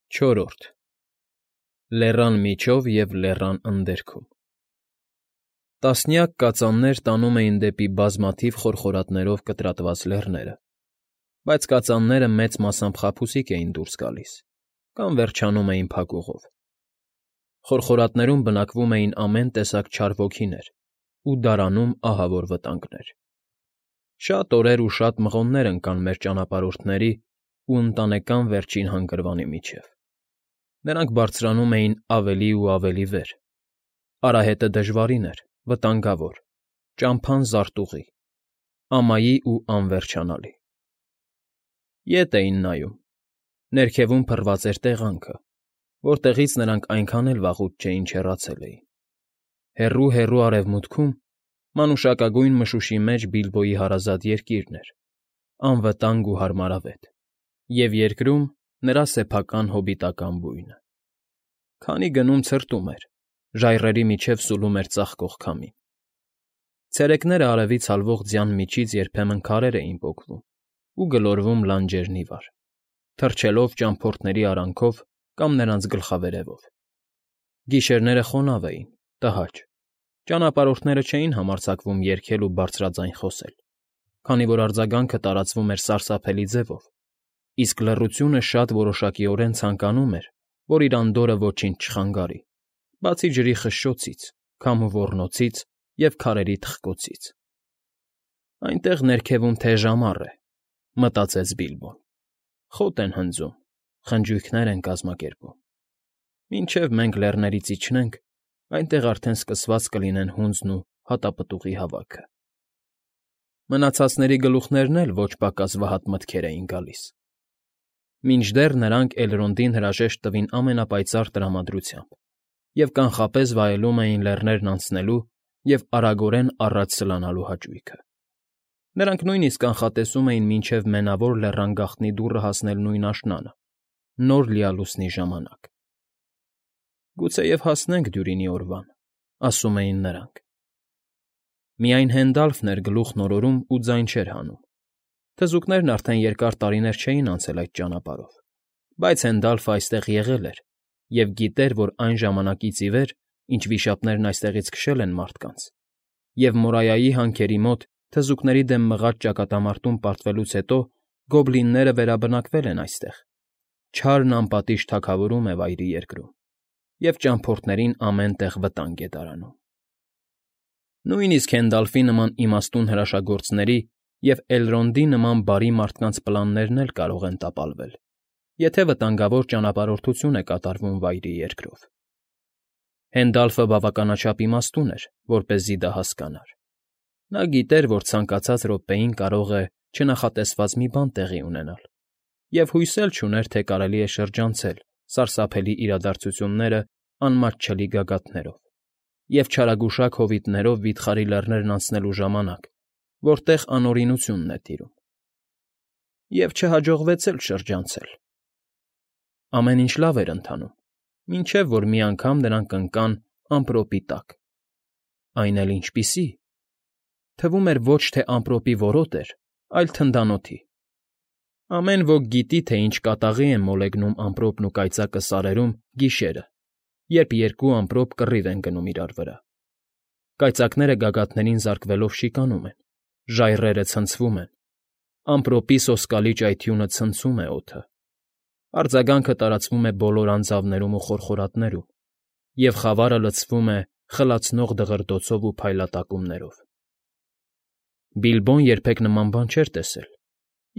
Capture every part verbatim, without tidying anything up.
Չորրորդ Լեռան միջով և լեռան ընդերքում Տասնյակ կածաններ տանում էին դեպի բազմաթիվ խորխորատներով կտրատված լեռները, բայց կածանները մեծ մասամբ խաբուսիկ էին դուրս գալիս կամ վերջանում էին փակուղով. խորխորատներում բնակվում էին ամեն տեսակ չար ոգիներ ու դարանում ահավոր վտանգներ. շատ օրեր ու շատ մղոններ ընկան մեր ճանապարհորդների ու Ընտանեկան Վերջին Հանգրվանի միջև. նրանք բարձրանում էին ավելի ու ավելի վեր, արահետը դժվարին էր, վտանգավոր, ճամփան զարտուղի, ամայի ու անվերջանալի. Ետ էին նայում, ներքևում փռված էր տեղանքը, որտեղից նրանք այնքան էլ վաղուց չէին չեռացել էին. հեռու֊հեռու արևմուտքում, մանուշակագույն մշուշի մեջ Բիլբոյի հարազատ երկիրն էր, անվտանգ ու հարմարավետ, և երկրում նրա սեփական հոբիտական բույնը. քանի գնում ցրտում էր, ժայռերի միջև սուլում էր ծակող քամին. ցերեկները արևից հալվող ձյան միջից երբեմն քարեր էին պոկվում ու գլորվում լանջերն ի վար, թռչելով ճամփորդների արանքով կամ նրանց գլխավերևով. գիշերները խոնավ էին, տհաճ, ճանապարհորդները չէին համարձակվում երգել ու բարձրաձայն խոսել, քանի որ արձագանքը տարածվում էր սարսափելի ձևով, իսկ լռությունը շատ որոշակիորեն ցանկանում էր, որ իր անդորրը ոչինչ չխանգարի, բացի ջրի խշշոցից, քամու ոռնոցից և քարերի թխկոցից։ Այնտեղ ներքևում թեժ ամառ է, մտածեց Բիլբոն, խոտ են հնձում, խնջույքներ են կազմակերպում. մինչև մենք լեռներից իջնենք, այնտեղ արդեն սկսված կլինեն հունձն ու հատապտուղի հավաքը։ Մնացածների գլուխներն էլ ոչ պակաս վհատ մտքեր էին գալիս. մինչդեռ նրանք Էլրոնդին հրաժեշտ տվին ամենապայծառ տրամադրությամբ և կանխապես վայելում էին լեռներն անցնելու և արագորեն առաջ սլանալու հաճույքը. նրանք նույնիսկ կանխատեսում էին մինչև Մենավոր Լեռան գաղտնի դուռը հասնել նույն աշնանը, նոր լիալուսնի ժամանակ։ «Գուցեև հասնենք Դյուրինի օրվան», ասում էին նրանք։ Միայն Հենդալֆն էր գլուխն օրորում ու ձայն չէր հանում. թզուկներն արդեն երկար տարիներ չէին անցել այդ ճանապարհով, բայց Հենդալֆը այստեղ եղել էր և գիտեր, որ այն ժամանակից ի վեր, ինչ վիշապներն այստեղից քշել են մարդկանց, և Մորայայի հանքերի մոտ թզուկների դեմ մղած ճակատամարտում պարտվելուց հետո գոբլինները վերաբնակվել են այստեղ, չարն անպատիժ թագավորում է Վայրի Երկրում, և ճամփորդներին ամեն տեղ վտանգ է դարանում։ Նույնիսկ Հենդալֆի նման իմաստուն հրաշագործների և Էլրոնդի նման բարի մարդկանց պլաններն էլ կարող են տապալվել, եթե վտանգավոր ճանապարհորդություն է կատարվում Վայրի Երկրով։ Հենդալֆը բավականաչափ իմաստուն էր, որպեսզի դա հասկանար. նա գիտեր, որ ցանկացած րոպեին կարող է չնախատեսված մի բան տեղի ունենալ, և հույս էլ չուներ, թե կարելի է շրջանցել սարսափելի իրադարձությունները անմատչելի գագաթներով և չարագուշակ հովիտներով վիթխարի լեռներն անցնելու ժամանակ, որտեղ անօրենությունն է տիրում։ Եվ չհաջողվեց էլ շրջանցել։ Ամեն ինչ լավ էր ընթանում, մինչև որ մի անգամ նրանք ընկան ամպրոպի տակ։ Այն էլ ինչպիսի՜… Թվում էր ոչ թե ամպրոպի որոտ էր, այլ թնդանոթի։ Ամեն ոք գիտի, թե ինչ կատաղի է մոլեգնում ամպրոպն ու կայծակը սարերում գիշերը, երբ երկու ամպրոպ կռիվ են գնում իրար վրա. կայծակները գագաթներին զարկվելով շիկանում են, ժայռերը ցնցվում են, ամպրոպի սոսկալի ճայթյունը ցնցում է օդը, արձագանքը տարածվում է բոլոր անձավներում ու խորխորատներում, և խավարը լցվում է խլացնող դղրդոցով ու փայլատակումներով։ Բիլբոն երբեք նման բան չէր տեսել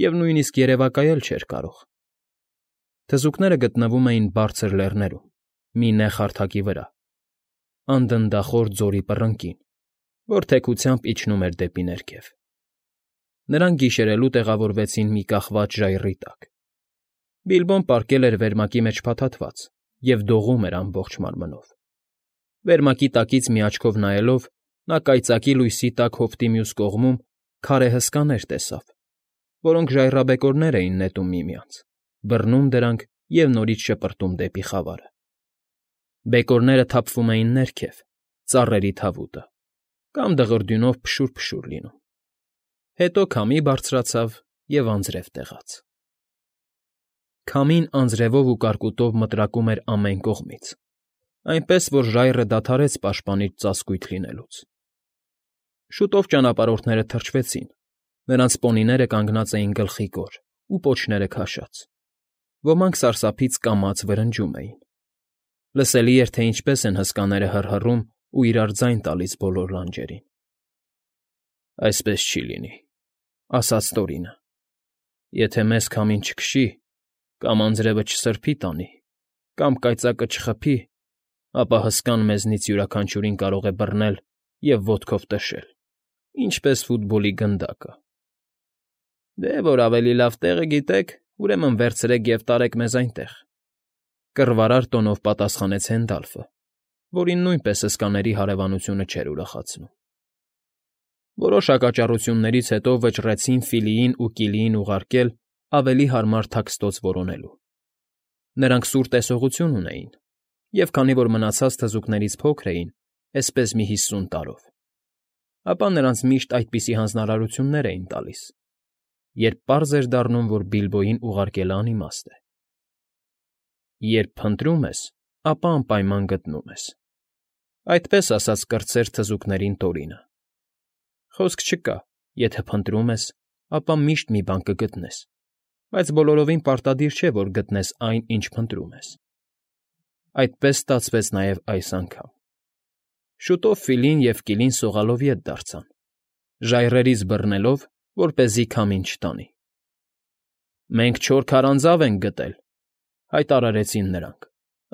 և նույնիսկ երևակայել չէր կարող։ Թզուկները գտնվում էին բարձր լեռներում, մի նեղ հարթակի վրա, անդնդախոր ձորի պռնկին, որ թեքությամբ իջնում էր դեպի ներքև։ Նրանք գիշերելու տեղավորվեցին մի կախված ժայռի տակ. Բիլբոն պառկել էր վերմակի մեջ փաթաթված և դողում էր ամբողջ մարմնով։ Վերմակի տակից մի աչքով նայելով՝ նա կայծակի լույսի տակ հովտի մյուս կողմում քարե հսկաներ տեսավ, որոնք ժայռաբեկորներ էին նետում միմյանց, բռնում դրանք և նորից շպրտում դեպի խավարը։ Բեկորները թափվում էին ներքև, ծառերի թավուտը, կամ դղրդյունով փշուր֊փշուր լինում, հետո քամի բարձրացավ և անձրև տեղաց։ Քամին անձրևով ու կարկուտով մտրակում էր ամեն կողմից, այնպես որ ժայռը դադարեց պաշտպանիչ ծածկույթ լինելուց։ Շուտով ճանապարհորդները թրջվեցին, նրանց պոնիները կանգնած էին գլխիկոր ու պոչները քաշած, ոմանք սարսափից կամաց վրնջում էին։ Լսելի էր, թե ինչպես են հսկաները հռհռում ու իրար ձայն տալիս բոլոր լանջերին։ «Այսպես չի լինի,֊ ասաց Տորինը։ Եթե մեզ քամին չքշի, կամ անձրևը չսրբի տանի, կամ կայծակը չխփի, ապա հսկան մեզնից յուրաքանչյուրին կարող է բռնել և ոտքով տշել, ինչպես ֆուտբոլի գնդակը»։ «Դե որ ավելի լավ տեղը գիտեք, ուրեմն վերցրեք և տարեք մեզ այնտեղ,֊ կռվարար տոնով պատասխանեց Հենդալֆը, որին նույնպես հսկաների հարևանությունը չէր ուրախացնում։ Որոշ հակաճառություններից հետո վճռեցին Ֆիլիին ու Կիլիին ուղարկել ավելի հարմար թաքստոց որոնելու։ Նրանք սուր տեսողություն ունեին, և քանի որ մնացած թզուկներից փոքր էին, էսպես մի հիսուն տարով, ապա նրանց միշտ այդպիսի հանձնարարություններ էին տալիս, երբ պարզ էր դառնում, որ Բիլբոյին ուղարկելն անիմաստ է։ «Երբ փնտրում ես, ապա անպայման գտնում ես,֊ այդպես ասաց կրտսեր թզուկներին Տորինը։ Խոսք չկա, եթե փնտրում ես, ապա միշտ մի բան կգտնես, բայց բոլորովին պարտադիր չէ, որ գտնես այն, ինչ փնտրում ես։ Այդպես ստացվեց նաև այս անգամ։ Շուտով Ֆիլին և Կիլին սողալով ետ դարձան, ժայռերից բռնելով, որպեսզի քամին չտանի։ «Մենք չորս քարանձավ ենք գտել,֊ հայտարարեցին նրանք,֊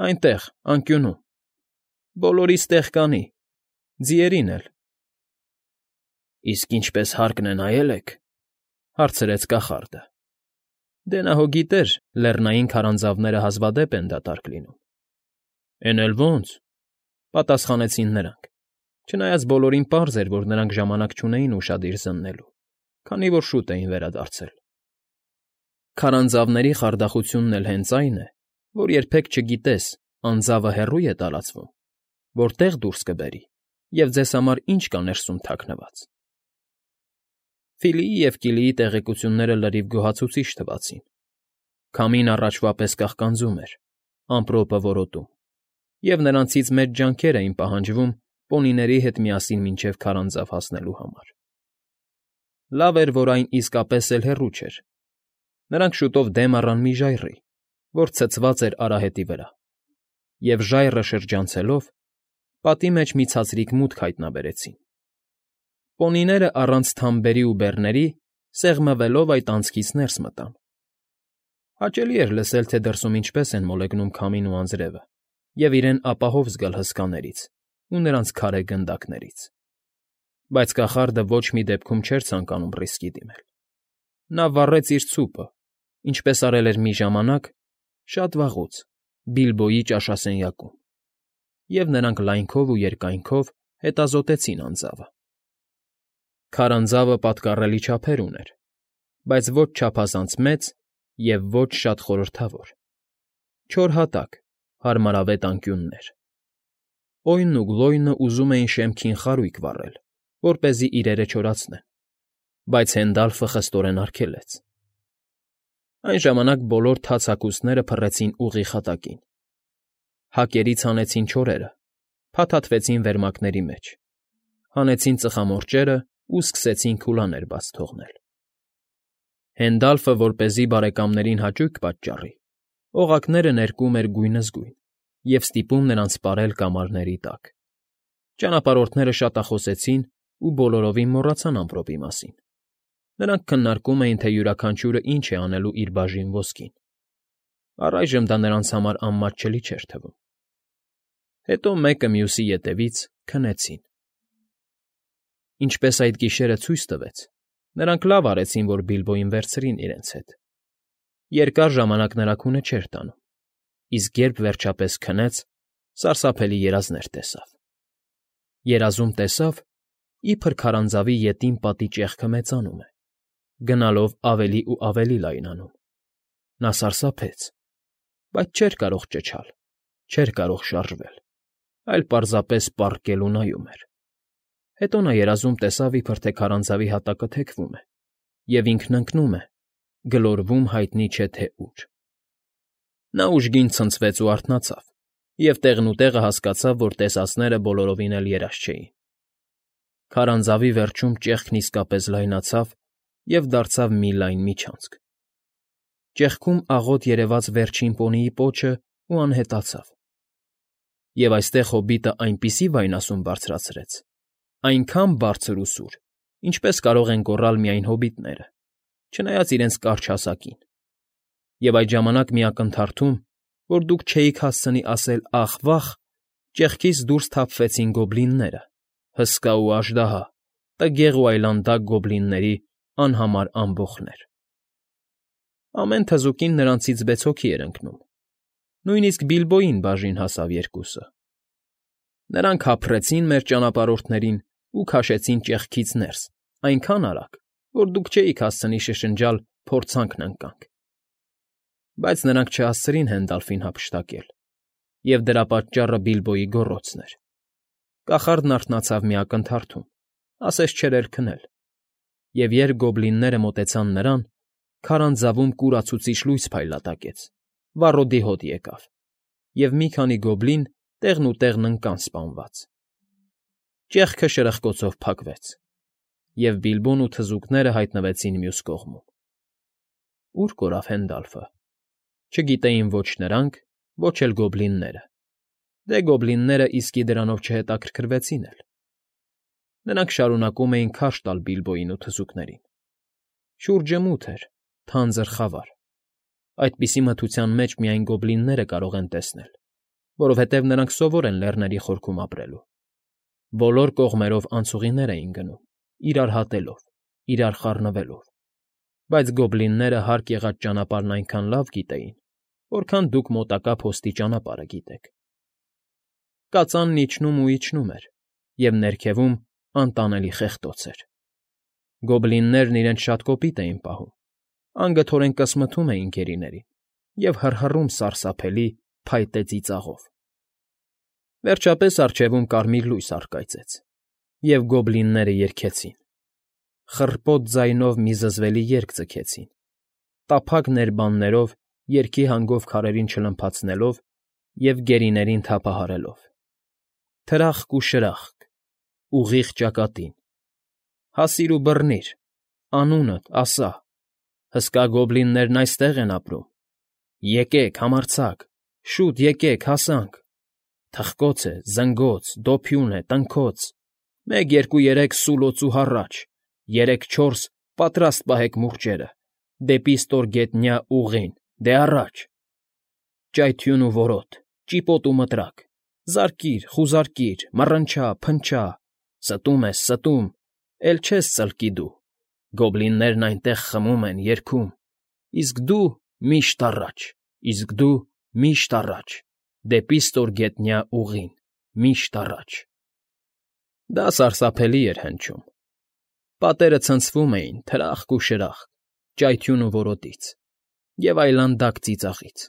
այնտեղ, անկյունում։ Բոլորիս տեղ կանի, ձիերին էլ»։ «Իսկ ինչպես հարկն է նայել եք,֊ հարցրեց կախարդը։ Դե նա հո գիտեր, լեռնային քարանձավները հազվադեպ են դատարկ լինում։ Էն էլ ո՜նց,֊ պատասխանեցին նրանք, չնայած բոլորին պարզ էր, որ նրանք ժամանակ չունեին ուշադիր զննելու, քանի որ շուտ էին վերադարձել։ Քարանձավների խարդախությունն էլ հենց այն է, որ երբեք չգիտես, անձավը հեռո՞ւ է տարածվում, որտեղ դուրս կբերի և ձեզ համար ինչ կա ներսում թաքնված։ Ֆիլիի և Կիլիի տեղեկությունները լրիվ գոհացուցիչ թվացին։ Քամին առաջվա պես կաղկանձում էր, ամպրոպը որոտում, և նրանցից մեծ ջանքեր էին պահանջվում պոնիների հետ միասին մինչև քարանձավ հասնելու համար։ Լավ էր, որ այն իսկապես էլ հեռու չէր։ Նրանք շուտով դեմ առան մի ժայռի, որ ցցված էր արահետի վրա, և ժայռը շրջանցելով, պատի մեջ մի ցածրիկ մուտք հայտնաբերեցին։ Պոնիները առանց թամբերի ու բեռների սեղմվելով այդ անցքից ներս մտան։ Հաճելի էր լսել, թե դրսում ինչպես են մոլեգնում քամին ու անձրևը, և իրեն ապահով զգալ հսկաներից ու նրանց քարե գնդակներից։ Բայց կախարդը ոչ մի դեպքում չէր ցանկանում ռիսկի դիմել։ Նա վառեց իր ցուպը, ինչպես արել էր մի ժամանակ, շատ վաղուց, Բիլբոյի ճաշասենյակում, և նրանք լայնքով ու երկայնքով հետազոտեցին անձավը։ Քարանձավը պատկառելի չափեր ուներ, բայց ոչ չափազանց մեծ և ոչ շատ խորհրդավոր։ Չոր հատակ, հարմարավետ անկյուններ։ Օյնն ու Գլոյնը ուզում էին շեմքին խարույկ վառել, որպեսզի իրերը չորացնեն, բայց Հենդալֆը խստորեն արգելեց։ Այն ժամանակ բոլոր թաց հագուստները փռեցին ուղիղ հատակին։ Հակերից հանեցին չորերը, փաթաթվեցին վերմակների մեջ, հանեցին ծխամորճերը ու սկսեցին քուլաներ բաց թողնել։ Հենդալֆը, որպեսզի բարեկամներին հաճույք պատճառի, օղակները ներկում էր գույնզգույն և ստիպում նրանց պարել կամարների տակ։ Ճանապարհորդները շատախոսեցին ու բոլորովին մոռացան ամպրոպի մասին։ Նրանք քննարկում էին, թե յուրաքանչյուրը ինչ է անելու իր բաժին ոսկին։ Առայժմ դա նրանց համար անմատչելի չէր թվում։ Հետո մեկը մյուսի ետևից քնեցին։ Ինչպես այդ գիշերը ցույց տվեց, նրանք լավ արեցին, որ Բիլբոյին վերցրին իրենց հետ։ Երկար ժամանակ նրա քունը չէր տանում, իսկ երբ վերջապես քնեց, սարսափելի երազներ տեսավ։ Երազում տեսավ, իբր քարանձավի ետին պատի ճեղքը մեծանում է, գնալով ավելի ու ավելի լայնանում։ Նա սարսափեց, բայց չէր կարող ճչալ, չէր կարող շարժվել, այլ պարզապես պառկել ու նայում էր։ Հետո նա երազում տեսավ, իբր թե քարանձավի հատակը թեքվում է, և ինքն ընկնում է, գլորվում հայտնի չէ թե ուր։ Նա ուժգին ցնցվեց ու արթնացավ, և տեղնուտեղը հասկացավ, որ տեսածները բոլորովին էլ երազ չէին. քարանձավի վերջում ճեղքն իսկապես լայնացավ և դարձավ մի լայն միջանցք. ճեղքում աղոտ երևաց վերջին պոնիի պոչն ու անհետացավ։ Եվ այստեղ հոբիտը այնպիսի վայնասուն բարձրացրեց, այնքան բարձր ու սուր, ինչպես կարող են գոռալ միայն հոբիտները, չնայած իրենց կարճ հասակին, և այդ ժամանակ մի ակնթարթում, որ դուք չէիք հասցնի ասել «ախ, վախ», ճեղքից դուրս թափվեցին գոբլինները, հսկա ու աժդահա, տգեղ ու այլանդակ գոբլինների անհամար ամբոխներ։ Ամեն թզուկին նրանցից վեց հոգի էր ընկնում, նույնիսկ Բիլբոյին բաժին հասավ երկուսը։ Նրանք հափռեցին մեր ճանապարհորդներին ու քաշեցին ճեղքից ներս այնքան արագ, որ դուք չէիք հասցնի շշնջալ «փորձանքն ընկանք»։ Բայց նրանք չհասցրին Հենդալֆին հափշտակել, և դրա պատճառը Բիլբոյի գոռոցն էր։ Կախարդն արթնացավ մի ակնթարթում, ասես չէր էլ քնել, և երբ գոբլինները մոտեցան նրան, քարանձավում կուրացուցիչ լույս փայլատակեց, վառոդի հոտ եկավ, և մի քանի գոբլին տեղնուտեղն ընկան սպանված։ Ճեղքը շրխկոցով փակվեց, և Բիլբոն ու թզուկները հայտնվեցին մյուս կողմում։ Ո՞ւր կորավ Հենդալֆը, չգիտեին ոչ նրանք, ոչ էլ գոբլինները, դե գոբլինները իսկի դրանով չհետաքրքրվեցին էլ։ Նրանք շարունակում էին քարշ տալ Բիլբոյին ու թզուկներին։ Շուրջը մութ էր, թանձր խավար, այդպիսի մթության մեջ միայն գոբլինները կարող են տեսնել, որովհետև նրանք սովոր են լեռների խորքում ապրելու։ Բոլոր կողմերով անցուղիներ էին գնում, իրար հատելով, իրար խառնվելով, բայց գոբլինները հարկ եղած ճանապարհն այնքան լավ գիտեին, որքան դուք մոտակա փոստի ճանապարհը գիտեք։ Կածանն իջնում ու իջնում էր, և ներքևում անտանելի խեղդոց էր։ Գոբլիններն իրենց շատ կոպիտ էին պահում, անգթորեն կսմթում էին գերիներին և հռհռում սարսափելի, փայտե ծիծաղով։ Վերջապես առջևում կարմիր լույս առկայծեց, և գոբլինները երգեցին, խռպոտ ձայնով մի զզվելի երգ ձգեցին, տափակ ներբաններով երգի հանգով քարերին չլմփացնելով և գերիներին թափահարելով. Թրախկ ու շրախկ, ուղիղ ճակատին, հասիր ու բռնիր, անունդ ասա, հսկա գոբլիններն այստեղ են ապրում, եկեք, համարձակ, շուտ եկեք, հասանք, թխկոց է, զնգոց, դոփյուն է, տնքոց, մեկ, երկու, երեք, սուլոց ու հառաչ, երեք, չորս, պատրաստ պահեք մուրճերը, դեպի ստորգետնյա ուղին, դե առաջ, ճայթյուն ու որոտ, ճիպոտ ու մտրակ, զարկիր, խուզարկիր, մռնչա, փնչա, ստում ես, ստում, էլ չես ծլկի դու, գոբլիններն այնտեղ խմում են, երգում, իսկ դու միշտ առաջ, իսկ դու միշտ առաջ, դեպի ստորգետնյա ուղին, միշտ առաջ։ Դա սարսափելի էր հնչում։ Պատերը ցնցվում էին թրախկ ու շրախկ, ճայթյուն ու որոտից և այլանդակ ծիծաղից։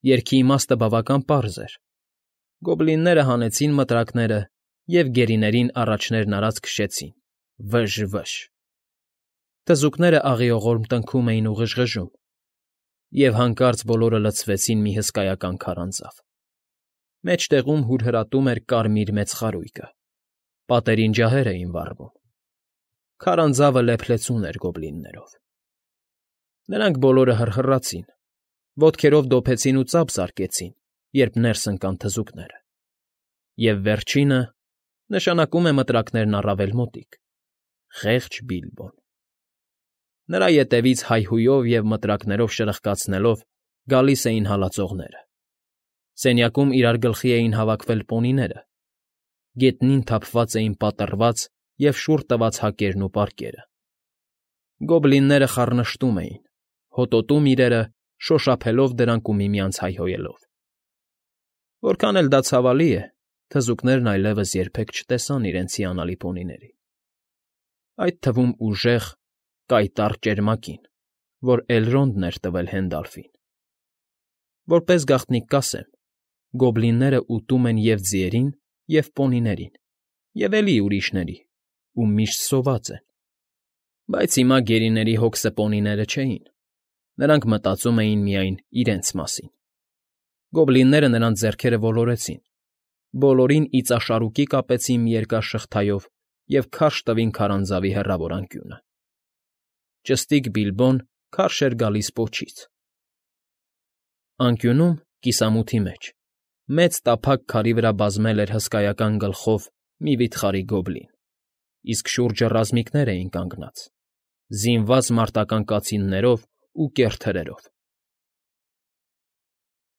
Երգի իմաստը բավական պարզ էր. գոբլինները հանեցին մտրակները և գերիներին առաջներն արած քշեցին՝ վը՜ժժ֊վը՜ժժ։ Թզուկները աղիողորմ տնքում էին ու ղժղժում, և հանկարծ բոլորը լցվեցին մի հսկայական քարանձավ։ Մեջտեղում հուրհրատում էր կարմիր մեծ խարույկը, պատերին ջահեր էին վառվում։ Քարանձավը լեփլեցուն էր գոբլիններով։ Նրանք բոլորը հռհռացին, ոտքերով դոփեցին ու ծափ զարկեցին, երբ ներս ընկան թզուկները։ Եվ վերջինը, նշանակում է մտրակներն առավել մոտիկ, խեղճ Բիլբոն։ Նրա ետևից հայհույով և մտրակներով շրխկացնելով գալիս էին հալածողները։ Սենյակում իրար գլխի էին հավաքվել պոնիները, գետնին թափված էին պատռված և շուռ տված հակերն ու պարկերը։ Գոբլինները խառնշտում էին, հոտոտում իրերը, շոշափելով դրանք ու միմյանց հայհոյելով։ Որքան էլ դա ցավալի է, թզուկներն այլևս երբեք չտեսան իրենց հիանալի պոնիներին, այդ թվում ուժեղ, կայտառ ճերմակին, որ Էլրոնդն էր տվել Հենդալֆին։ Որպես գաղտնիք կասեմ, գոբլինները ուտում են և՛ ձիերին, և՛ պոնիներին, և էլի ուրիշների, ու միշտ սոված են։ Բայց հիմա գերիների հոգսը պոնիները չէին, նրանք մտածում էին միայն իրենց մասին։ Գոբլինները նրանց ձեռքերը ոլորեցին, բոլորին իծաշարուկի կապեցին մի երկար շղթայով և քարշ տվին քարանձավի հեռավոր անկյունը։ ճստիկ Բիլբոն քարշ էր գալիս պոչից։ Անկյունում, կիսամութի մեջ, մեծ տափակ քարի վրա բազմել էր հսկայական գլխով մի վիթխարի գոբլին, իսկ շուրջը ռազմիկներ էին կանգնած, զինված մարտական կացիններով ու կեռ թրերով։